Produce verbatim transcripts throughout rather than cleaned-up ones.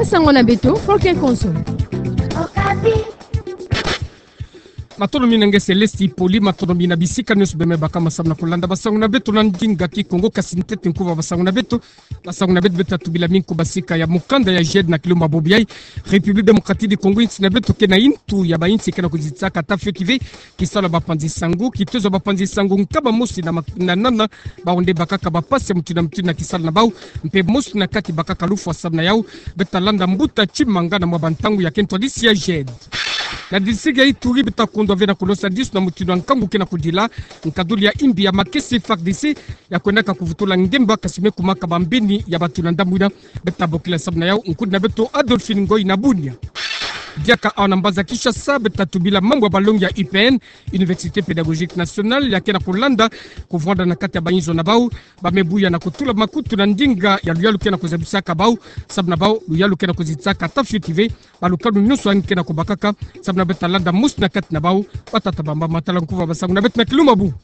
Sango na beto, Foke Konso. Matondo mingi na nge Celeste Poli, matondo mingi na bisika nyonso beno me baka ma samu na kulanda basango na beto na ndinga Kikongo, kasi ntete nkuba basango na beto. Basango na beto beta tubila mingi ku basika ya mukanda ya GED na kilumbu ya Bobo-Yai, République Démocratique du Congo, insi na beto ke na intu ya bainsi ke na kuzitisaka ata fioti ve kisalu ya bapanzi sango. Kitezo ya bapanzi sango nkaba mosi na mak-, na nana, bawu nde bakaka bapasi ya mutindu na mutindu na kisalu na bawu, mpe mosi na kati bakaka lufwa samu na yawu. Beta landa mbuta Tshimanga na mwa bantangu ya ke ntwadisi ya GED. Na district ya Ituri beta kondwa ve na kulosa disu na mutindu ya nkangu ke na kudila, nkaduli ya imbi ya makese FARDC ya kwendaka kuvutula ngemba, kasi me kumaka bambeni ya bato na ndambu ina. Beta bokila samu na yawu nkundi na beto Adolphine Ngoyi na Bunia. Diaka awa na mbanza Kinshasa, beta tubila mambu ya balongi ya U P N, Université Pédagogique Nationale, ya ke na kulanda kuvwanda na kati ya bainzo na bawu, ba me buya na kutula makutu na ndinga ya luyalu ke na kuzabisaka bawu, samu na bawu luyalu ke na kuzitisaka ata fioti ve, balukanu nyonso yandi ke na kubakaka, samu na beta landa mosi na kati na bawu, batata, bamama, tala nkuba basango na beto na kilumbu ya bubu.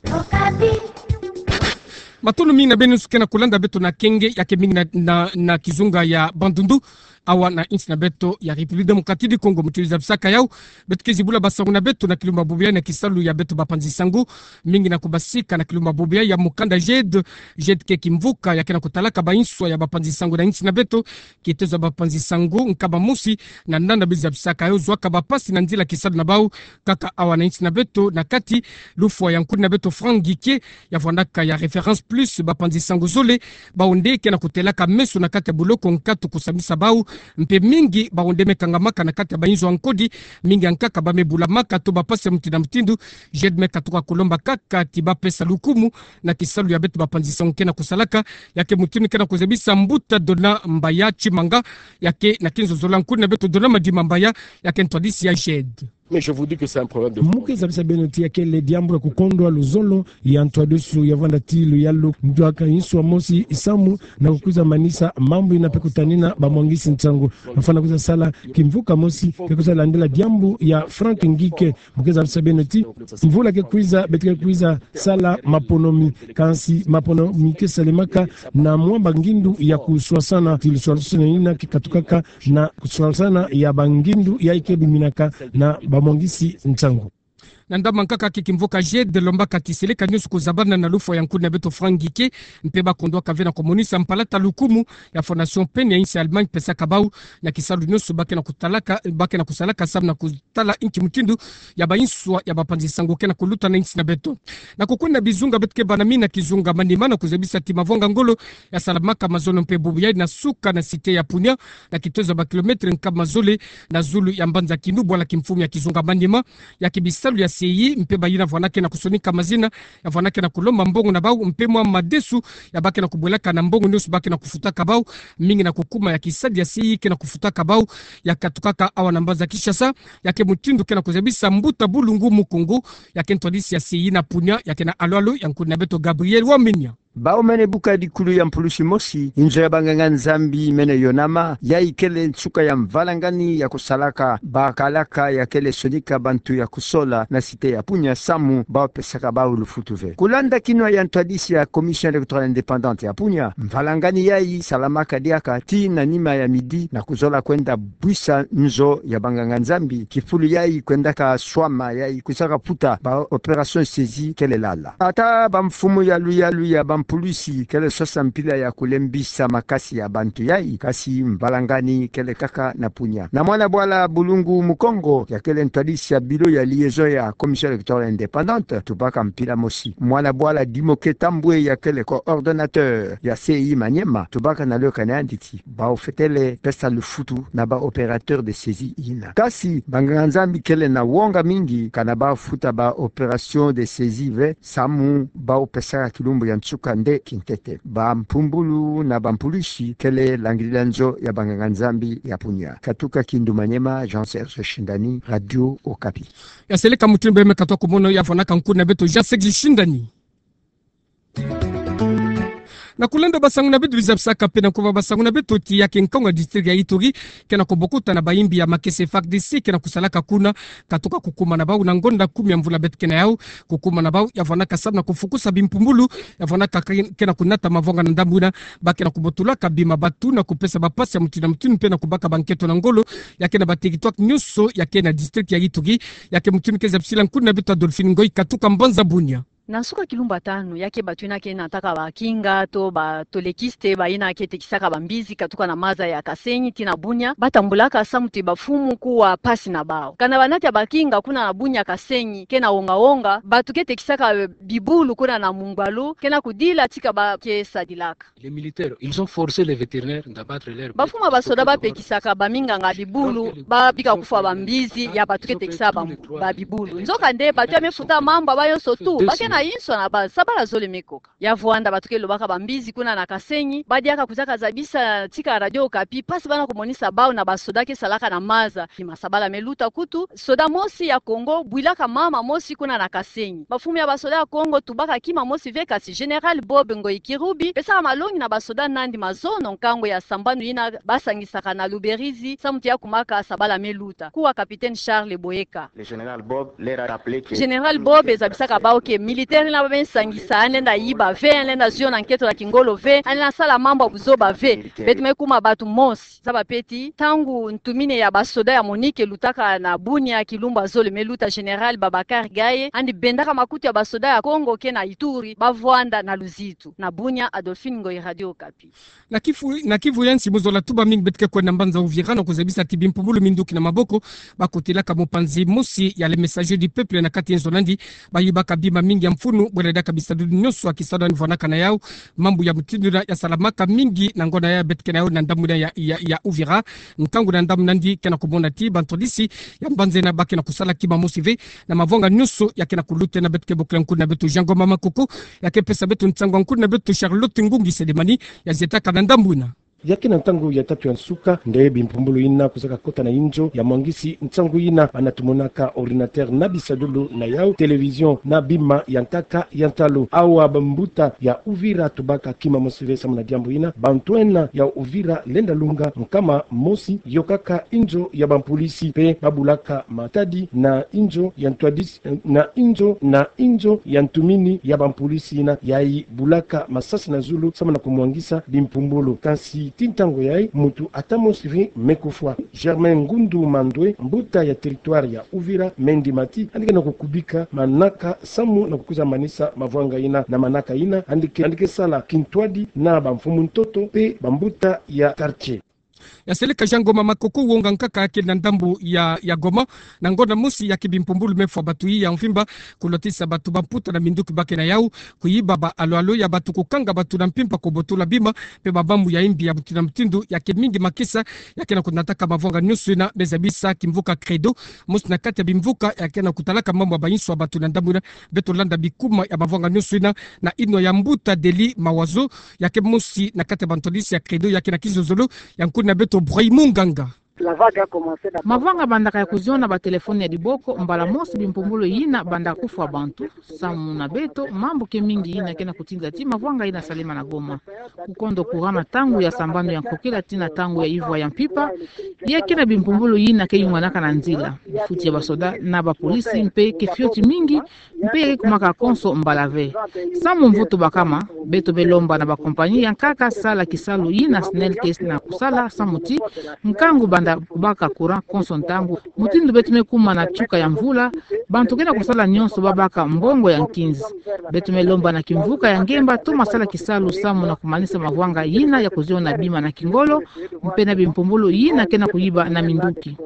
Matondo mingi na beno nyonso ke na kulanda beto na kenge, ya ke mingi na, na, na kizunga ya Bandundu, awa na insi na beto ya République Démocratique du Congo. Mutindu zabisaka yawu, beto ke zibula basango na beto na kilumbu ya Bobo-Yai na kisalu ya beto bapanzi sango, mingi na kubasika na kilumbu ya Bobo-Yai ya mukanda GED. GED ke kimvuka ya ke na kutalaka bainswa ya bapanzi sango na insi na beto. Kitezo ya bapanzi sango nkaba mosi na nana beno zabisaka yawu zwaka bapasi na nzila kisalu na bawu, kaka awa na insi na beto na kati. Lufwa ya nkundi na beto Franck Ngieke, ya vwandaka ya Référence Plus bapanzi sango zole, bawu nde ke na kutelaka meso na kati ya boloko nkatu kusambisa bawu, mpe mingi bawu nde me kangamaka na kati ya bainzo ya nkodi, mingi ya nkaka ba me bulamaka to bapasi ya mutindu na mutindu. GED me katuka kulomba kaka ti bapesa lukumu na kisalu ya beto bapanzi sango ke na kusalaka, ya ke mutindu ke na kuzabisa mbuta Dona Mbaya Tshimanga, ya ke na kinzo zola nkundi na beto Dona Madima Mbaya, ya ke ntwadisi ya GED. Mais je vous dis que c'est un problème de... Mu ke zabisa beno ti ya kele diambu ya kukondwa luzolo ya ntwadisi ya vwanda ti luyalu, nzwaka inswa mosi isamu na kukwiza manisa mambu ina mpe kutanina bamwangisi nsangu. Bafwana kwiza sala kimvuka mosi ke kwiza landila diambu ya Franck Ngieke. Mu ke zabisa beno ti mvula ke kwiza, beto ke kwiza sala maponomi. Kansi maponomi ke salemaka na mwa bangindu ya kuswasana, ti luswaswani ina ke katukaka na kuswasana ya bangindu ya ike biminaka na bamwangisi nsangu. Na ndambu nkaka ke kimvuka GED lombaka ti seleka nyonso kuzabana na lufwa ya nkundi na beto Franck Ngieke, mpe ba kondwaka ve na kumonisa mpalata lukumu ya Fondation PEN ya insi ya Allemagne pesaka bawu na kisalu nyonso ba ke na kutalaka, ba ke na kusalaka samu na ku- tala inki mutindu ya bainswa ya bapanzi sango ke na kuluta na insi na beto. Na kukwenda bizunga, beto ke bana mi na kizunga Maniema na kuzabisa ti mavwanga ngolo ya salamaka mazono mpe bubu yayi na suka na cité ya Punia, na kitozo ya ba kilomètre nkama zole na zulu ya mbanza Kindu, bwala kimfumu ya kizunga Maniema. Ya ke bisalu ya C I mpe bayina vwana ke na kusonika mazina, ya vwana ke na kulomba mbongo na bawu mpe mwa madesu ya ba ke na kubwelaka na mbongo nyonso ba ke na kufutaka bawu, mingi na kukuma ya kisadi ya C I ke na kufutaka bawu, ya katukaka awa na mbanza Kinshasa. Ya ke mutindu ke na kuzabisa mbuta Bulungu Mukungu, ya ke ntwadisi ya C I na Punia, ya ke na alwalo ya nkundi na beto Gabriel Wamenya. Bawu mene buka dikulu ya mpulusi mosi, inzo ya banganga-Nzambi mene yonama, yayi kele nsuka ya mvalangani ya kusalaka bakalaka ya kele sonika bantu ya kusola na cité ya Punia samu bawu pesaka bawu lufutu ve. Kulanda kinwa ya ntwadisi ya Commission électorale indépendante ya Punia, mvalangani yayi salamaka diaka ti na nima ya midi na kuzola kwenda bwisa nzo ya banganga-Nzambi, kifulu yayi kwendaka swama yayi kusaka futa ba opération saisie kele lala. Ata bamfumu ya luyalu ya bampulusi kele sosa mpila ya kulembisa makasi ya bantu yayi, kasi mvalangani kele kaka na Punia. Na mwana bwala Bulungu Mukungu, ya kele ntwadisi ya bureau ya liaison ya Commission électorale indépendante, tubaka mpila mosi. Mwana bwala Dimoke Tambwe, ya kele coordonnateur ya C I Maniema, tubaka na loka na yandi ti bawu fwetele pesa lufutu na ba opérateur de saisie yina. Kasi banganga-Nzambi kele na wonga mingi, kana bawu futa ba opération de saisie ve samu bawu pesaka kilumbu ya nsuka nde kintete. Bampumbulu na bampulusi kele langidila nzo ya banganga-Nzambi ya Punia. Katuka Kindu Maniema, Jean Serge Shindani, Radio Okapi. Ya seleka mutindu beno me katuka kumono ya vwanaka nkundi na beto Jean Serge Shindani. Na kulenda basangu na beto, biza bisaka pe na kuva basangu na beto ti ya ke nkangu ya district ya Ituri kena kubokuta na bayimbi ya makesa F A R D C kena kusalaka kuna, katuka kukuma na bau na ngonda kumi ya mvula beto kena yau. Kukuma na bau ya vwanaka samu na kufukusa bimpumbulu ya vwanaka ke-, kena kunata mavwanga na ndambu ina, ba kena kubotulaka bima, batu na kupesa bapasi ya mutindu na mutindu pe na kubaka banketo na ngolo ya ke na ba territoire nyonso ya ke na district ya Ituri. Ya ke mutindu ke zabisila nkuna beto Adolphine Ngoy katuka mbanza Bunia. Na nsuka kilumbu tanu, ya ke batu ina ke nataka bakinga to ba tolekiste, ba ina ke tekisaka bambizi katuka na maza ya Kasenyi tii na Bunia, batambulaka samu ti bafumu kuwa pasi na bau. Kana banati ya bakinga kuna na Bunia Kasenyi kena wonga-wonga, batu ke tekisaka bibulu kuna na mungwalu kena kudila tika ba ke sadilaka. Les militaires, ils ont forcé les vétérinaires d'abattre leurs bêtes. Bafumu ya basoda bapekisaka baminganga bibulu, babika kufwa bambizi ya batu ke tekisa ba, ba bibulu. Nzokande batu ya me futa mambu ya bawu yonso tu, ba ke na inso na ba sabala zole me koka. Ya vwanda batu ke lobaka bambizi kuna na Kasenyi, badiaka kuzaka zabisa tika Radio Okapi pasi bana kumonisa bau na basoda ke salaka na maza. Kima sabala me luta kutu, soda mosi ya Congo bwilaka mama mosi kuna na Kasenyi. Bafumu ya basoda ya Congo tubaka kima mosi ve, kasi Général Bob Ngoyi Kirubi pesaka malongi na basoda nandi mazono nkangu ya sambanu ina basangisaka na Luberizi samu ti ya kumaka sabala me luta. Kuwa Capitaine Charles Boyeka. Le Général Bob leur a rappelé que Général Bob zabisaka bau ke militaire ina ba me sangisa, yandi lenda yiba ve, yandi lenda zio na nketo na kingolo ve, yandi lenda sala mambu ya buzoba ve. Militaire. Beto me kuma batu mosi. Zaba pe ti, ntangu ntumini ya basoda ya MONUC lutaka na Bunia kilumbu ya zole me luta, Général Babacar Gaye, yandi bendaka makutu ya basoda ya Congo ke na Ituri, bavwanda na luzitu. Na Bunia, Adolphine Ngoyi, Radio Okapi. Na Kivu, na Kivu ya nsi, mu zola tuba mingi beto ke kwenda mbanza Uvira na kuzabisa ti bimpumbulu minduki na maboko bakotelaka mopanzi mosi ya Le Messager du Peuple na kati ya nzo nandi, bayibaka bima mingi ya mfunu, bweledaka bisalu nyonso ya kisalu yandi vwanaka na yau. Mambu ya mutindu ina ya salamaka mingi na ngonda ya beto kena yau na ndambu ina ya, ya, ya Uvira. Nkangu na ndambu nandi kena kumona ti bantwadisi ya mbanza ina ba kena kusala kima mosi ve na mavwanga nyonso ya kena kuluta. Na beto ke bokila nkuna beto Jean Ngoma Makoko, ya ke pesa beto nsangu ya nkuna beto Charlotte Ngungi Selemani, ya zietaka na ndambu ina. Ya ke na ntangu ya tatu ya nsuka nde bimpumbulu ina kuzaka kota na inzo ya mwangisi nsangu ina, bana tumonaka ordinateur na bisadulu na yau, télévision na bima ya nkaka ya ntalu. Awa bambuta ya Uvira tubaka kima mosi ve samu na diambu ina. Bantwenia ya Uvira lenda lunga nkama mosi, yokaka inzo ya bampulisi pe babulaka matadi na inzo ya ntwadisi, na inzo, na inzo ya ntumini ya bampulisi ina, yayi bulaka masasi na zulu samu na kumwangisa bimpumbulu. Kansi tii ntangu yayi, muntu ata mosi ve me kufwa. Germain Ngundu Mandwe, mbuta ya territoire ya Uvira, Mendi Mati, yandi kena kukubika manaka samu na kukwiza manisa mavwanga ina. Na manaka ina, yandi ke, yandi ke sala kintwadi na bamfumu ntoto pe bambuta ya quartier. Ya seleka Jean Ngoma Makoko, wonga nkaka ya ke na ndambu ya, ya Goma. Na ngonda mosi ya ke bimpumbulu me fwa batu yi ya mvimba, kulotisa batu bamputa na minduki ba kena yau, kuyiba ba alo-alo ya batu, kukanga batu na mpimpa, kubotula bima pe ba mambu ya imbi ya mutindu na mutindu. Ya ke mingi makesa ya kena kunataka mavwanga nyonso ina, me zabisa kimvuka Credo, mosi na kati ya bimvuka ya kena kutalaka mambu ya bainso ya batu na ndambu ina. Beto landa bikuma ya mavwanga nyonso ina na inwa ya mbuta Deli Mawazo, ya ke mosi na kati ya bantwadisi ya Credo, ya ke na kizozolo ya nkuna beto Brahim Munganga. Mavwanga bandaka ya kuziona batelefone ya diboko, mbala mosi bimpumbulu ina banda kufwa bantu. Samu na beto, mambu ke mingi ina kena kutinda ti mavwanga ina salema na Goma. Kukondo courant na ntangu ya sambanu ya nkokila tii na ntangu ya ivwa ya mpimpa, ya ke na bimpumbulu ina ke yunganaka na nzila. Bifuti ya basoda na bapolisi mpe ke fioti mingi, mpe kumaka konso mbala ve. Samu mvutu bakama, beto me lomba na bakompani ya nkaka sala kisalu ina SNEL ke na kusala, samu ti nkangu banda baka courant konso ntangu. Mutindu beto me kuma na nsuka ya mvula, bantu kena kusala nyonso babaka mbongo ya nkinzi. Beto me lomba na kimvuka ya ngemba toma sala kisalu samu na kumanisa mavwanga ina ya kuziona bima na kingolo, mpe na bimpumbulu ina kena kuyiba na minduki.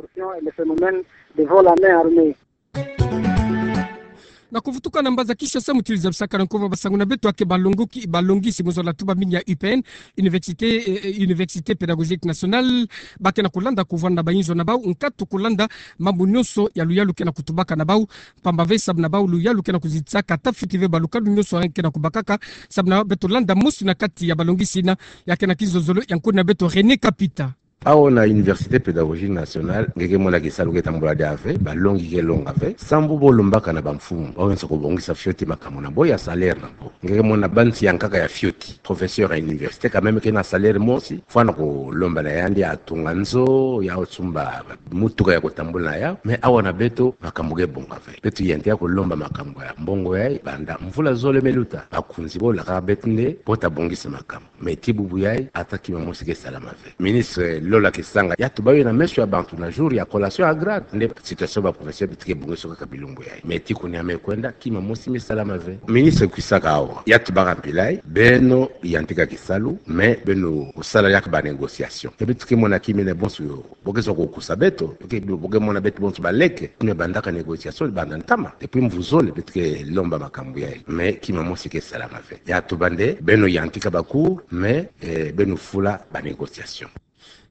Na kuvutuka na mbanza Kinshasa, mutindu zabisaka na nkuva basangu na beto, ya ke balongoki, balongisi mu zola tuba mingi ya U P N, Université, eh, eh, Université Pédagogique Nationale, ba kena kulanda kuvwanda na bainzo na bau nkatu kulanda mambu nyonso ya luyalu kena kutubaka na bau, mpamba ve samu na bau luyalu kena kuzitisaka, tafiti ve, balukanu nyonso ya kena kubakaka. Samu na beto landa mosi na kati ya balongisi ina, ya ke na kizozolo ya nkuna beto René Kapita. Awa na Université Pédagogique Nationale, nge ke mona kisalu ke tambula diaka ve, balongi ke longa ve, sambu bo lombaka na bamfumu, bawensaka kobongisa fioti makambu na bo ya salaire na bo. Nge ke mona ba nsi yankaka ya fioti, professeur ya université, quand même ke na salaire mosi, fwana kolomba na yandi atunga nzo, ya osumba mutuka ya kotambula na yau, mais awa na beto, makambu ke bonga ve. Beto yantika kolomba makambu ya mbongo yayi, banda mvula zole me luta, bakunzi bolaka beto nde, bo ta bongisa makambu. Mais tii bubu yayi, ata kima mosi ke salama ve. Ministre Lola Kisanga, ya tuba yo na meso ya bantu na jour ya collation ya grade. Nde situation ba professeur beto ke bongisa kaka bilumbu yayi. Mais tii kuni ya me kwenda, kima mosi me salama ve. Ministre kwisaka awa, ya tubaka mpila yayi, beno yantika kisalu, mais beno kusala yaka ba négociation. Ke beto ke mona kima ene bonso yo. Bo ke zola kokusa beto, bo ke, bo ke mona beto bonso baleke, mais bandaka négociation, banda ntama. Depuis mvu zole, beto ke lomba makambu yayi. Mais kima mosi ke salama ve. Ya tuba nde, beno yantika ba cours, mais, eh, beno fula ba négociation.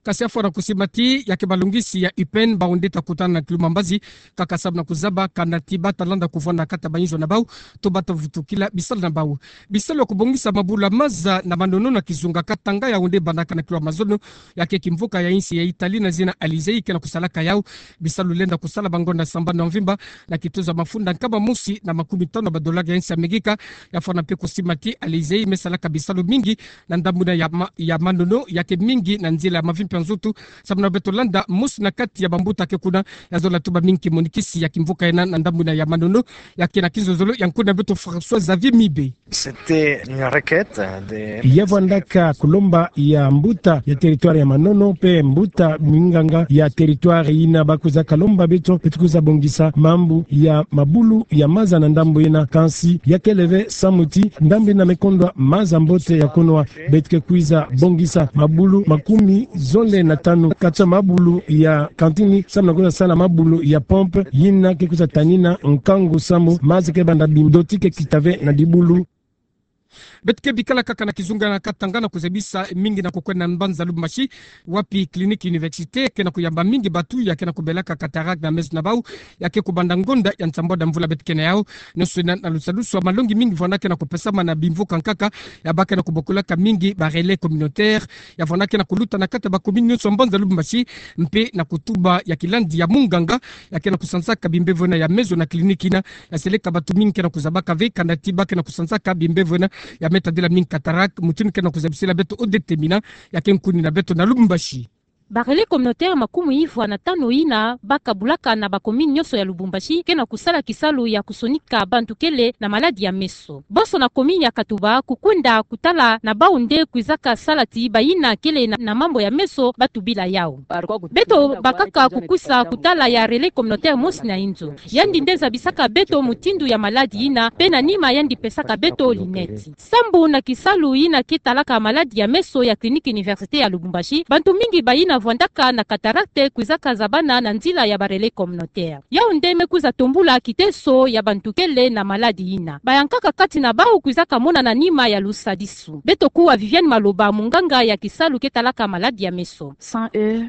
Kasi afwana kusimati, ya ke balongisi ya U P N, bawu nde ta kutana na kilumbu mbazi, kaka sababu na kuzaba, kana ti ba ta landa kuvwanda kati ya bayinzo na bawu, to ba ta vutukila bisalu na bawu. Bisalu ya kobongisa mabulu ya maza na manono na kizunga Katanga yawu nde bandaka na kilumbu mazono, ya ke kimvuka ya insi ya Italie na zina Alizé ke na kusalaka yawu. Bisalu lenda kusala ba ngonda sambanu ya mvimba, na kitozo ya mafunda nkama mosi na makumi tanu ya ba dollars ya insi ya Amerika. Ya fwana mpe kusimati Alizé me salaka bisalu mingi na ndambu yina ya ma-, ya manono, ya ke mingi na nzila ya mavimpi ya nzoto. Sababu na beto landa mosi na kati ya bambuta ke kuna, ya zola tuba mingi kimonikisi ya kimvuka yina na ndambu yina ya manono, ya ke na kinzonzolo ya nkuna beto François Xavier Mibe. C'était une requête de... Ya vwandaka kulomba ya mbuta ya territoire ya manono, mpe mbuta minganga ya territoire yina ba kwiza kalomba beto, beto kwiza bongisa mambu ya mabulu ya maza na ndambu yina, kansi ya kele ve samu ti ndambu yina me kondwa maza mbote ya kunwa. Beto ke kwiza bongisa mabulu makumi zole na tanu kati ya mabulu ya kantini, samu na kwiza sala mabulu ya pompe, yina ke kwiza tanina nkangu samu maza ke banda bima, ndoti ke kita ve na dibulu. Beto ke bikala kaka na kizunga na Katanga na kuzabisa mingi na kukwenda na mbanza Lubumbashi, wapi clinique université ke na kuyamba mingi bantu ya ke na kubelaka cataracte na meso na bawu, ya ke kubanda ngonda ya nsambwadi ya mvula beto ke na yawu. Nionso yina na lusadusu ya malongi mingi vwanda ke na kupesama na bimvuka nkaka, ya ba ke na kubokulaka mingi ba relais communautaire, ya vwanda ke na kuluta na kati ya ba commune nionso ya mbanza Lubumbashi, mpe na kutuba ya kilandi ya munganga, ya ke na kusansaka bimbevo yina ya meso na clinique yina, ya seleka bantu mingi ke na kuzabaka ve, kana ti ba ke na kusansaka bimbevo yina ya me tadila mingi cataracte, mutindu ke na kuzabisila beto Odette Mina, ya ke nkuni na beto na Lubumbashi. Ba relais communautaire makumi ivwa na tanu yina ba kabulaka na ba commune nionso ya Lubumbashi ke na kusala kisalu ya kusonika bantu kele na maladi ya meso. Bonso na commune ya Katuba kukwenda kutala na bawu nde kwizaka sala ti bayina kele na, na mambu ya meso ba tubila yawu. Beto bakaka kukwisa kutala ya relais communautaire mosi na inzo. Yandi nde zabisaka beto mutindu ya maladi yina, mpe na nima yandi pesaka beto lunette. Sambu na kisalu yina ke talaka maladi ya meso ya clinique université ya Lubumbashi, bantu mingi bayina vwandaka na cataracte kwizaka zabana na nzila ya ba relais communautaire. Yawu nde me kwiza tombula kiteso ya bantu kele na maladi yina. Bayankaka kati na bawu kwizaka mona na nima ya lusadisu. Beto kuwa Viviane Maloba, munganga ya kisalu ke talaka maladi ya meso.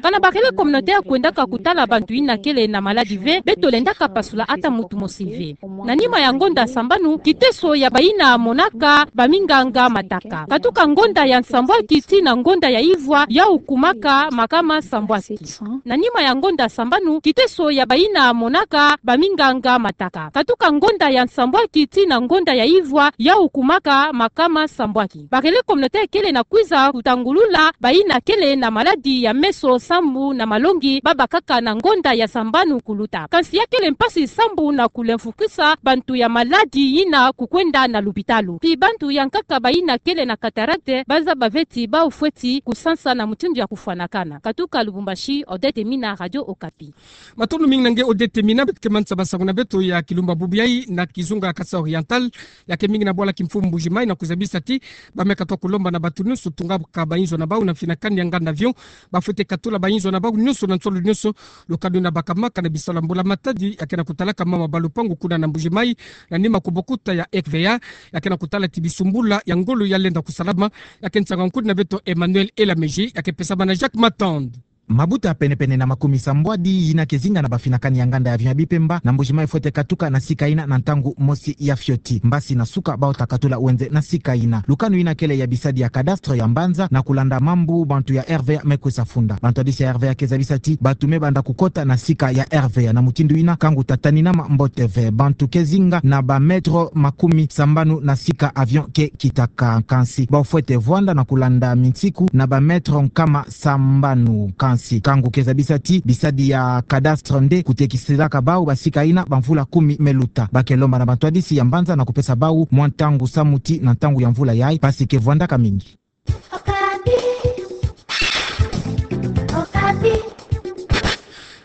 Kana ba relais communautaire kwendaka kutala bantu yina kele na maladi ve, beto lendaka pasula ata muntu mosi ve. Na nima ya ngonda sambanu, kiteso ya bayina monaka baminganga mataka. Katuka ngonda ya nsambwaki tii na ngonda ya ivwa, yawu kumaka makama sambwaki. Na nima ya ngonda sambanu, kiteso ya bayina monaka baminganga mataka. Katuka ngonda ya nsambwaki tii na ngonda ya ivwa, yawu kumaka makama sambwaki. Ba relais communautaire kele na kwiza kutangulula bayina kele na maladi ya meso sambu na malongi ba bakaka na ngonda ya sambanu kuluta. Kansi ya kele mpasi sambu na kulemfukisa bantu ya maladi yina kukwenda na lupitalu. Tii bantu yankaka bayina kele na cataracte ba zaba ve ti bawu fweti kusansa na mutindu ya kufwanakana. Katuka Lubumbashi, Odette Mina, Radio Okapi. Matondo mingi na nge Odette Mina. Beto ke manisa basango na beto ya kilumbu bubu yayi na kizunga Kasaï Oriental, ya ke mingi na bwala kimfumu Mbuji-Mayi, na kuzabisa ti ba me katuka kulomba na bantu nionso tungaka bayinzo na bawu na mfinakani ya nganda avion, ba fwete katula bayinzo na bawu nionso na nsolo nionso. Lukanu yina bakamaka na bisalu ya mbula matadi ya ke na kutalaka mama ba lupangu kuna na Mbuji-Mayi, na nima kubokuta ya R V A, ya ke na kutala ti bisumbula ya ngolo ya lenda kusalama. Ya ke nsanga nkuni na beto Emmanuel Elameji, ya ke pesama na Jacques Matand. Mabuta penepene na makumi sambwadi yina ke zinga na bafinakani ya nganda ya avion ya Bipemba na Mbuji-Mayi fwete katuka na sika yina na ntangu mosi ya fioti. Mbasi na suka bau ta katula wenze na sika yina. Lukanu yina kele ya bisadi ya cadastre ya mbanza na kulanda mambu bantu ya R V A me kwe sa funda. Bantu hadisi ya R V A ke zabisa ti batu me banda kukota na sika ya R V A na mutindu yina kangu ta taninama mbote ve. Bantu ke zinga na ba mètre makumi sambanu na sika avion ke kitaka. Kansi bau fwete vwanda na kulanda minsiku na ba mètre nkama sambanu. Kansi kangu ke zabisa ti bisadi ya cadastre nde kutekisilaka bau ba sika yina ba mvula kumi me luta. Ba ke lomba na bantu hadisi ya mbanza na kupesa bau mwa ntangu samu ti na ntangu ya mvula yayi, mpasi ke vwandaka mingi.